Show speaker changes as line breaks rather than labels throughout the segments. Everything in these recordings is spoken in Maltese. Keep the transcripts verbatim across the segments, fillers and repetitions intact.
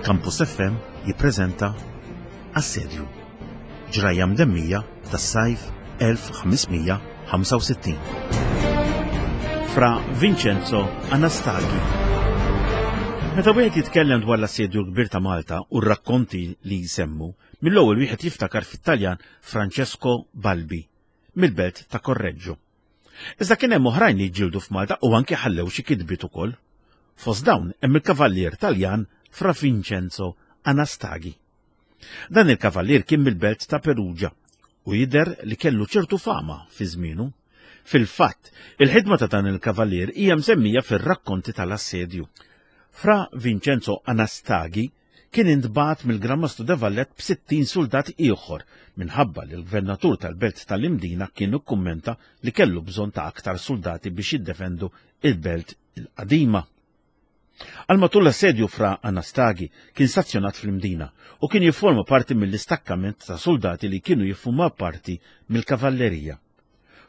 Campus F M jippreżenta Assedju, ġrajja mdemmija tas-sajf elf ħames mija ħamsa u sittin. Fra Vincenzo Anastagi. Meta wieħed jitkellem dwar l-assedju l-kbir ta' Malta u r-rakkonti li jsemmu, mill-ewwel wieħed jiftakar fit-Taljan Francesco Balbi, mill-belt ta' Correggio. Iżda kien hemm oħrajn li ġġieldu f'Malta u anke ħallew xi kitbiet ukoll. Fost dawn hemm il-kavallier Taljan Fra Vincenzo Anastagi. Dan il-kavallier kien mill-belt ta' Perugia u jidher li kellu ċertu fama fi żmienu. Fil-fatt, il-ħidma ta' dan il-kavallier hija msemmija fir-rakkonti tal-assedju. Fra Vincenzo Anastagi kien intbagħat mill-Gran Mastru de Valette b'sittin soldat ieħor minħabba li l-gvernatur tal-belt tal-Imdina kien ikkummenta li kellu bżonn ta' aktar soldati biex jiddefendu il-belt il-qadima. Għal matul l-assedju Fra Anastagi kien stazzjonat fl-Imdina u kien jifforma parti mill-istakkament ta' soldati li kienu jiffurmaw parti mill-kavallerija.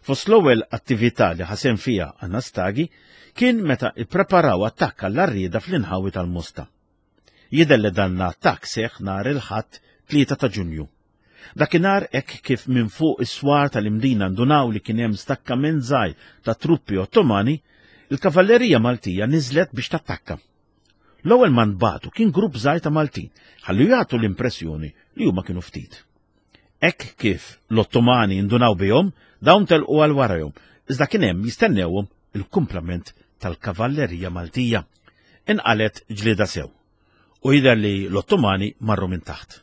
Fost l-ewwel attività li ħasem fiha Anastagi kien meta ippreparaw attakk għall-għarrieda fl-inħawi tal-Mosta. Jidher li dan l-attakk seħħ nhar il-Ħadd tlieta ta' Ġunju. Dakinhar hekk kif minn fuq is-swar tal-Imdina ndunaw li kien hemm stakkament żgħir ta' truppi Ottomani, il-kavallerija Maltija niżlet biex tattakka. L-ewwel ma nbagħtu kien grupp żgħir ta' Maltin, ħallu jagħtu l-impressjoni li huma kienu ftit. Hekk kif l-Ottomani ndunaw bihom, dawn telqu għal warajhom, iżda kien hemm jistennewhom il-kumplament tal-kavallerija Maltija. Inqalet ġlieda sew u jidher li l-Ottomani marru minn taħt.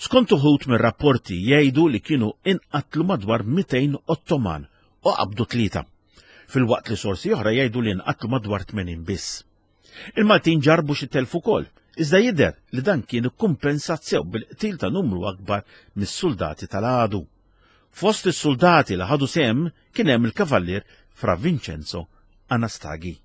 Skont uħud mir-rapporti jgħidu li kienu inqatlu madwar mitejn Ottoman u qabdu tlieta, fil-waqt li sorsi oħra jgħidu li nqatlu madwar tmenin biss. Il-Maltin ġarbu xi telf ukoll, iżda jidher li dan kien ikkumpensat sew bil-qtil ta' numru akbar mis-soldati tal-għadu. Fost is-soldati li ħadu sehem kien hemm il-kavallier Fra Vincenzo Anastagi.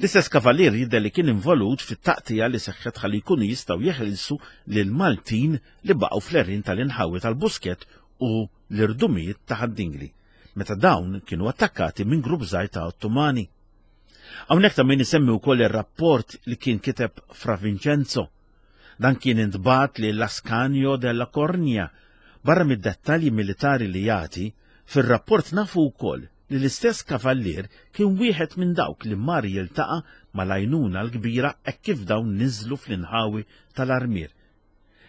L-istess kavallier jidher li kien involut fit-taqtija li seħħet ħalli jkunu jistgħu jeħilsu lil Maltin li baqgħu fl-għerien tal-inħawi tal-Buskett u l-irdumijiet ta' Ħad-Dingli, meta dawn kienu attakkati minn grupp żgħir ta' Ottomani. Hawnhekk ta' min isemmi wkoll ir-rapport li kien kiteb Fra Vincenzo. Dan kien intbagħat lil Ascanio della Cornia. Barra mid-dettalji militari li jagħti, fir-rapport nafu wkoll li l-istess kavallier kien wieħed minn dawk li mar jiltaqa' mal-għajnuna l-kbira hekk kif dawn niżlu fl-inħawi tal-Armier.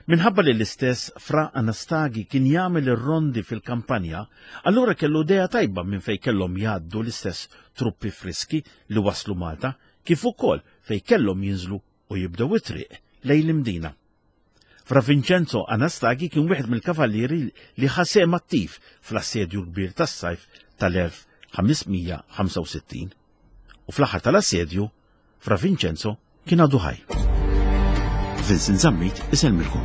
Minħabba li l-istess Fra Anastagi kien jagħmel ir-rondi fil-kampanja, allura kellu idea tajba minn fejn kellhom jgħaddu l-istess truppi friski li waslu Malta, kif ukoll fejn kellhom jinżlu u jibdew it-triq lejn l-Imdina. Fra Vincenzo Anastagi kien wieħed mill-kavallieri li ħasem attiv fl-assedju kbir tas-sajf tal-elf ħames mija ħamsa u sittin. U fl-aħħar tal-assedju, Fra Vincenzo kien għadu ħaj. Vincent Zammit isellmilkom.